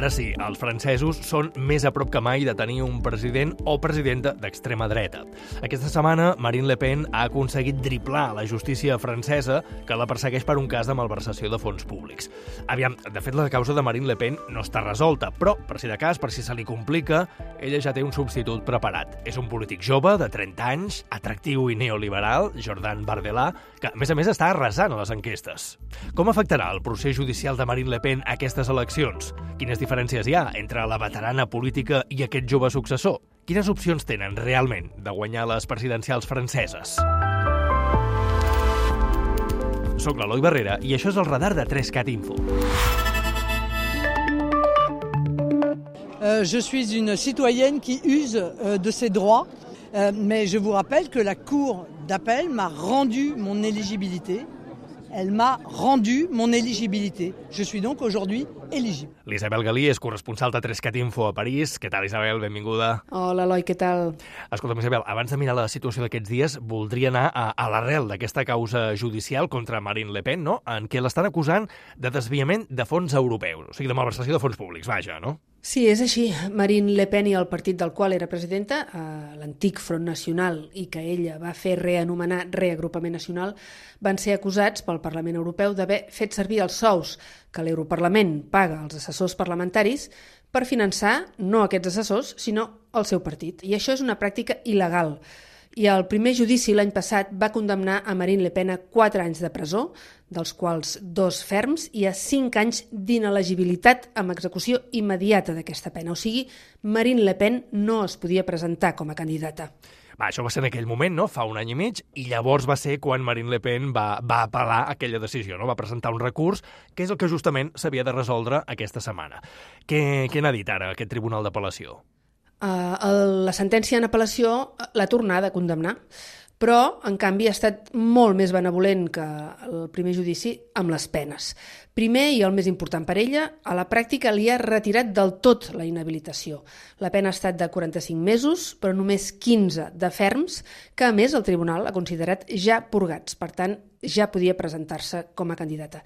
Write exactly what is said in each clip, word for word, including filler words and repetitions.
Ara sí, els francesos són més a prop que mai de tenir un president o presidenta d'extrema dreta. Aquesta setmana, Marine Le Pen ha aconseguit driblar la justícia francesa que la persegueix per un cas de malversació de fons públics. Aviam, de fet, la causa de Marine Le Pen no està resolta, però, per si de cas, per si se li complica, ella ja té un substitut preparat. És un polític jove, de trenta anys, atractiu i neoliberal, Jordan Bardella, que, a més a més, està arrasant a les enquestes. Com afectarà el procés judicial de Marine Le Pen a aquestes eleccions? Quines diferències hi ha entre la veterana política i aquest jove successor? Quines opcions tenen realment de guanyar les presidencials franceses? Soc l'Eloi Barrera i això és el radar de tres cat Info. Euh, je suis une citoyenne qui use euh, de ses droits, euh, mais je vous rappelle que la Cour d'appel m'a rendu mon éligibilité. Elle m'a rendu mon éligibilité. Je suis donc aujourd'hui éligible. L'Isabel Galí és corresponsal de tres cat Info a París. Què tal, Isabel? Benvinguda. Hola, Eloi, què tal? Escolta'm, Isabel, abans de mirar la situació d'aquests dies, voldria anar a, a l'arrel d'aquesta causa judicial contra Marine Le Pen, no?, en què l'estan acusant de desviament de fons europeus, o sigui, de malversació de fons públics, vaja, no? Sí, és així. Marine Le Pen i el partit del qual era presidenta, eh, l'antic Front Nacional, i que ella va fer reanomenar Reagrupament Nacional, van ser acusats pel Parlament Europeu d'haver fet servir els sous que l'Europarlament paga als assessors parlamentaris per finançar no aquests assessors, sinó el seu partit. I això és una pràctica il·legal. I el primer judici l'any passat va condemnar a Marine Le Pen a quatre anys de presó, dels quals dos ferms, i a cinc anys d'inelegibilitat amb execució immediata d'aquesta pena. O sigui, Marine Le Pen no es podia presentar com a candidata. Va, això va ser en aquell moment, no?, fa un any i mig, i llavors va ser quan Marine Le Pen va, va apel·lar aquella decisió, no?, va presentar un recurs, que és el que justament s'havia de resoldre aquesta setmana. Què, què n'ha dit ara aquest tribunal d'apel·lació? Uh, el, la sentència en apel·lació l'ha tornada a condemnar, però, en canvi, ha estat molt més benevolent que el primer judici amb les penes. Primer, i el més important per ella, a la pràctica li ha retirat del tot la inhabilitació. La pena ha estat de quaranta-cinc mesos, però només quinze de ferms, que a més el tribunal ha considerat ja purgats, per tant, ja podia presentar-se com a candidata.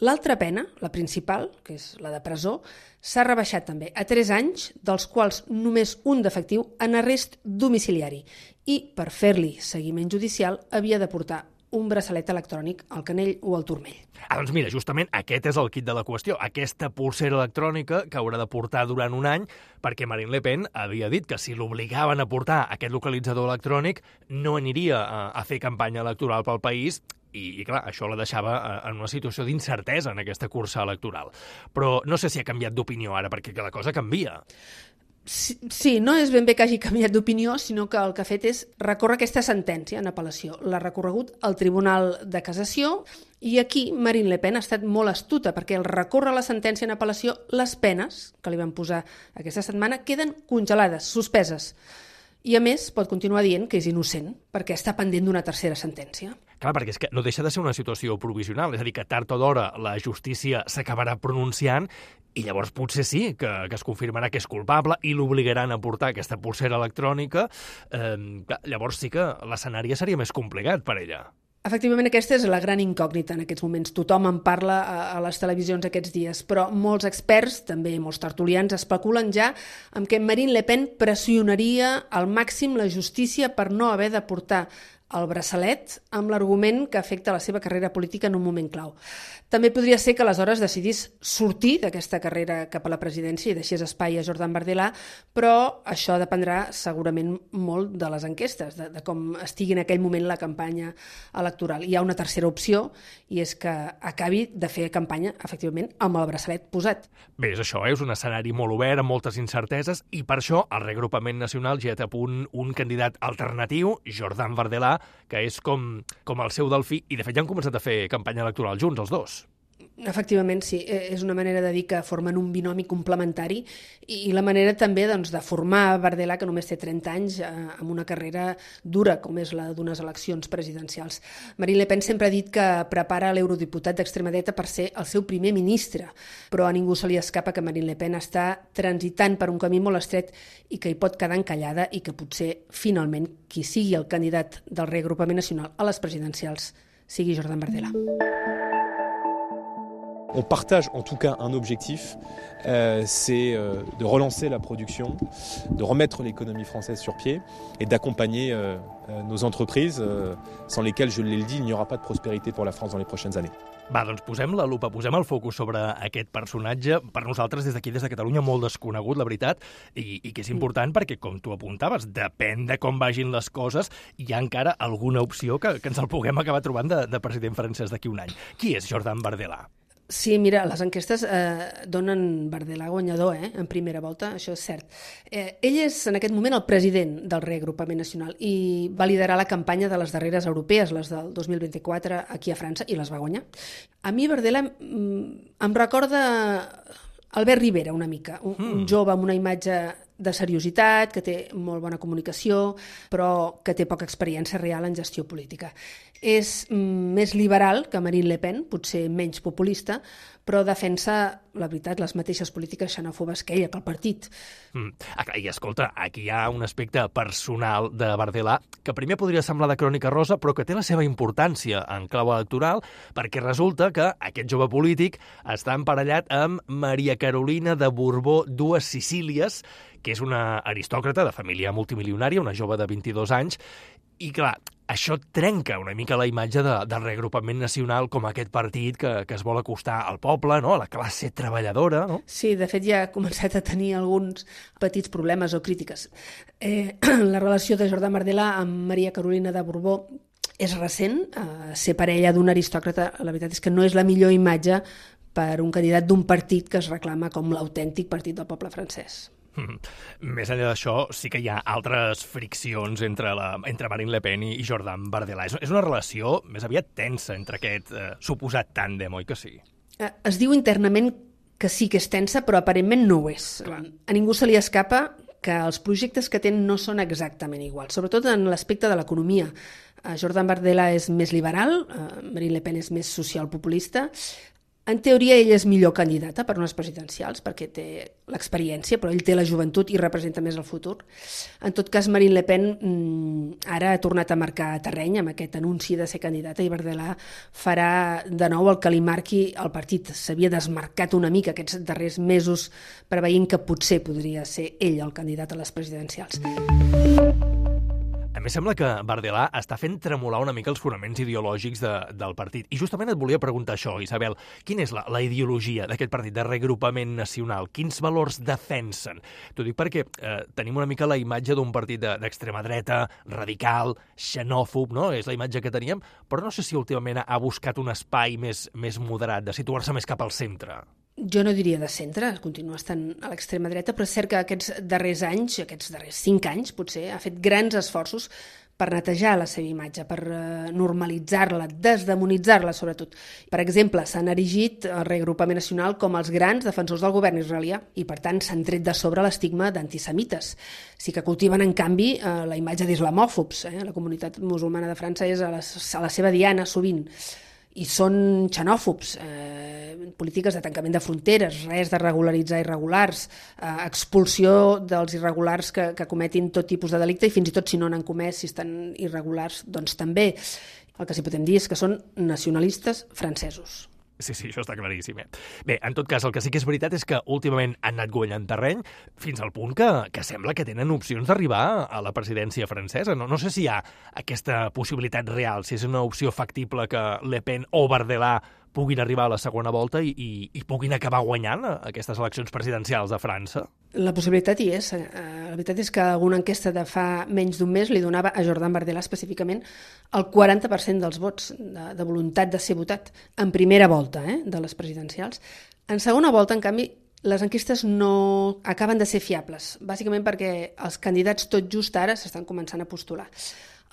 L'altra pena, la principal, que és la de presó, s'ha rebaixat també a tres anys, dels quals només un d'efectiu en arrest domiciliari. I, per fer-li seguiment judicial, havia de portar un braçalet electrònic al canell o al turmell. Ah, doncs mira, justament aquest és el quid de la qüestió, aquesta pulsera electrònica que haurà de portar durant un any, perquè Marine Le Pen havia dit que si l'obligaven a portar aquest localitzador electrònic no aniria a, a fer campanya electoral pel país. I, i clar, això la deixava en una situació d'incertesa en aquesta cursa electoral. Però no sé si ha canviat d'opinió ara, perquè la cosa canvia. Sí, sí, no és ben bé que hagi canviat d'opinió, sinó que el que ha fet és recórrer aquesta sentència en apel·lació. L'ha recorregut al Tribunal de Cassació i aquí Marine Le Pen ha estat molt astuta perquè al recórrer la sentència en apel·lació les penes que li van posar aquesta setmana queden congelades, suspeses. I, a més, pot continuar dient que és innocent, perquè està pendent d'una tercera sentència. Clar, perquè és que no deixa de ser una situació provisional, és a dir, que tard o d'hora la justícia s'acabarà pronunciant i llavors potser sí que, que es confirmarà que és culpable i l'obligaran a portar aquesta pulsera electrònica. Eh, llavors sí que l'escenari seria més complicat per ella. Efectivament, aquesta és la gran incògnita en aquests moments. Tothom en parla a les televisions aquests dies, però molts experts, també molts tertulians, especulen ja amb que Marine Le Pen pressionaria al màxim la justícia per no haver de portar el braçalet amb l'argument que afecta la seva carrera política en un moment clau. També podria ser que aleshores decidís sortir d'aquesta carrera cap a la presidència i deixés espai a Jordan Bardella, però això dependrà segurament molt de les enquestes, de, de com estigui en aquell moment la campanya electoral. Hi ha una tercera opció i és que acabi de fer campanya, efectivament, amb el braçalet posat. Bé, és això, eh? És un escenari molt obert, amb moltes incerteses, i per això el Reagrupament Nacional ja té a punt un candidat alternatiu, Jordan Bardella, que és com, com el seu delfí, i de fet ja han començat a fer campanya electoral junts, els dos. Efectivament, sí. És una manera de dir que formen un binomi complementari i la manera també doncs, de formar Bardella, que només té trenta anys, eh, amb una carrera dura, com és la d'unes eleccions presidencials. Marine Le Pen sempre ha dit que prepara l'eurodiputat d'extrema dreta per ser el seu primer ministre, però a ningú se li escapa que Marine Le Pen està transitant per un camí molt estret i que hi pot quedar encallada i que potser, finalment, qui sigui el candidat del Reagrupament Nacional a les presidencials sigui Jordan Bardella. On partage en tout cas un objectif, euh, c'est euh, de relancer la production, de remettre l'économie française sur pied et d'accompagner euh, euh, nos entreprises, euh, sans lesquelles, je l'ai dit, il n'y aura pas de prospérité pour la France dans les prochaines années. Va, doncs posem la lupa, posem el focus sobre aquest personatge, per nosaltres des d'aquí, des de Catalunya, molt desconegut, la veritat, i, i que és important perquè, com tu apuntaves, depèn de com vagin les coses, hi ha encara alguna opció que, que ens el puguem acabar trobant de, de president francès d'aquí un any. Qui és Jordan Bardella? Sí, mira, les enquestes eh, donen Bardella guanyador, eh, en primera volta, això és cert. Eh, ell és, en aquest moment, el president del Reagrupament Nacional i va liderar la campanya de les darreres europees, les del dos mil vint-i-quatre, aquí a França, i les va guanyar. A mi Bardella mm, em recorda Albert Rivera, una mica, un, mm. un jove amb una imatge de seriositat, que té molt bona comunicació, però que té poca experiència real en gestió política. És mm, més liberal que Marine Le Pen, potser menys populista, però defensa, la veritat, les mateixes polítiques xenòfobes que ella, que el partit. Mm. I escolta, aquí hi ha un aspecte personal de Bardella que primer podria semblar de crònica rosa, però que té la seva importància en clau electoral, perquè resulta que aquest jove polític està emparellat amb Maria Carolina de Borbó dues Sicílies, que és una aristòcrata de família multimilionària, una jove de vint-i-dos anys, i clar, això trenca una mica la imatge de, del Reagrupament Nacional com aquest partit que, que es vol acostar al poble, no? A la classe treballadora, no? Sí, de fet ja ha començat a tenir alguns petits problemes o crítiques. Eh, la relació de Jordan Bardella amb Maria Carolina de Borbó és recent, eh, ser parella d'un aristòcrata, la veritat és que no és la millor imatge per un candidat d'un partit que es reclama com l'autèntic partit del poble francès. Mm. Més enllà d'això, sí que hi ha altres friccions entre, la, entre Marine Le Pen i Jordan Bardella. És, és una relació més aviat tensa entre aquest eh, suposat tàndem, oi que sí? Es diu internament que sí que és tensa, però aparentment no ho és. Clar. A ningú se li escapa que els projectes que tenen no són exactament iguals, sobretot en l'aspecte de l'economia. Jordan Bardella és més liberal, Marine Le Pen és més socialpopulista. En teoria, ell és millor candidata per unes presidencials perquè té l'experiència, però ell té la joventut i representa més el futur. En tot cas, Marine Le Pen mmm, ara ha tornat a marcar terreny amb aquest anunci de ser candidata i Bardella farà de nou el que li marqui el partit. S'havia desmarcat una mica aquests darrers mesos preveient que potser podria ser ell el candidat a les presidencials. A mi sembla que Bardella està fent tremolar una mica els fonaments ideològics de, del partit. I justament et volia preguntar això, Isabel. Quina és la, la ideologia d'aquest partit de Reagrupament Nacional? Quins valors defensen? T'ho dic perquè eh, tenim una mica la imatge d'un partit de, d'extrema dreta, radical, xenòfob, no? És la imatge que teníem, però no sé si últimament ha buscat un espai més, més moderat, de situar-se més cap al centre. Jo no diria de centre, continua estant a l'extrema dreta, però és cert que aquests darrers anys, aquests darrers cinc anys, potser, ha fet grans esforços per netejar la seva imatge, per normalitzar-la, desdemonitzar-la, sobretot. Per exemple, s'han erigit el Reagrupament Nacional com els grans defensors del govern israelià i, per tant, s'han tret de sobre l'estigma d'antisemites. Sí que cultiven, en canvi, la imatge d'islamòfobs. Eh? La comunitat musulmana de França és a la, a la seva diana, sovint. I són xenòfobs, eh, polítiques de tancament de fronteres, res de regularitzar irregulars, eh, expulsió dels irregulars que, que cometin tot tipus de delicte i fins i tot si no n'han comès, si estan irregulars, doncs també. El que sí podem dir és que són nacionalistes francesos. Sí, sí, això està claríssim. Eh? Bé, en tot cas, el que sí que és veritat és que últimament han anat guanyant terreny fins al punt que, que sembla que tenen opcions d'arribar a la presidència francesa. No, no sé si hi ha aquesta possibilitat real, si és una opció factible que Le Pen o Bardella puguin arribar a la segona volta i, i, i puguin acabar guanyant aquestes eleccions presidencials de França. La possibilitat hi és. La veritat és que alguna enquesta de fa menys d'un mes li donava a Jordan Bardella específicament el quaranta per cent dels vots de, de voluntat de ser votat en primera volta eh, de les presidencials. En segona volta, en canvi, les enquestes no acaben de ser fiables, bàsicament perquè els candidats tot just ara s'estan començant a postular.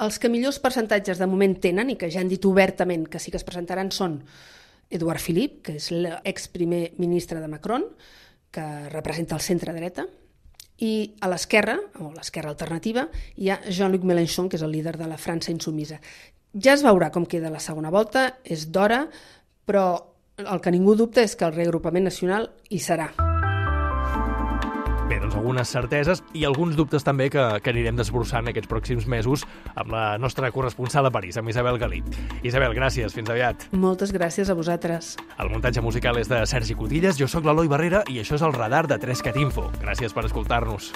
Els que millors percentatges de moment tenen i que ja han dit obertament que sí que es presentaran són Edouard Philippe, que és l'exprimer ministre de Macron, que representa el centre-dreta, i a l'esquerra, o l'esquerra alternativa, hi ha Jean-Luc Mélenchon, que és el líder de la França insumisa. Ja es veurà com queda la segona volta, és d'hora, però el que ningú dubta és que el Reagrupament Nacional hi serà. Bé, doncs algunes certeses i alguns dubtes també que, que anirem desbrossant aquests pròxims mesos amb la nostra corresponsal a París, amb Isabel Galí. Isabel, gràcies, fins aviat. Moltes gràcies a vosaltres. El muntatge musical és de Sergi Cotillas, jo sóc l'Eloi Barrera i això és el Radar de tres cat info. Gràcies per escoltar-nos.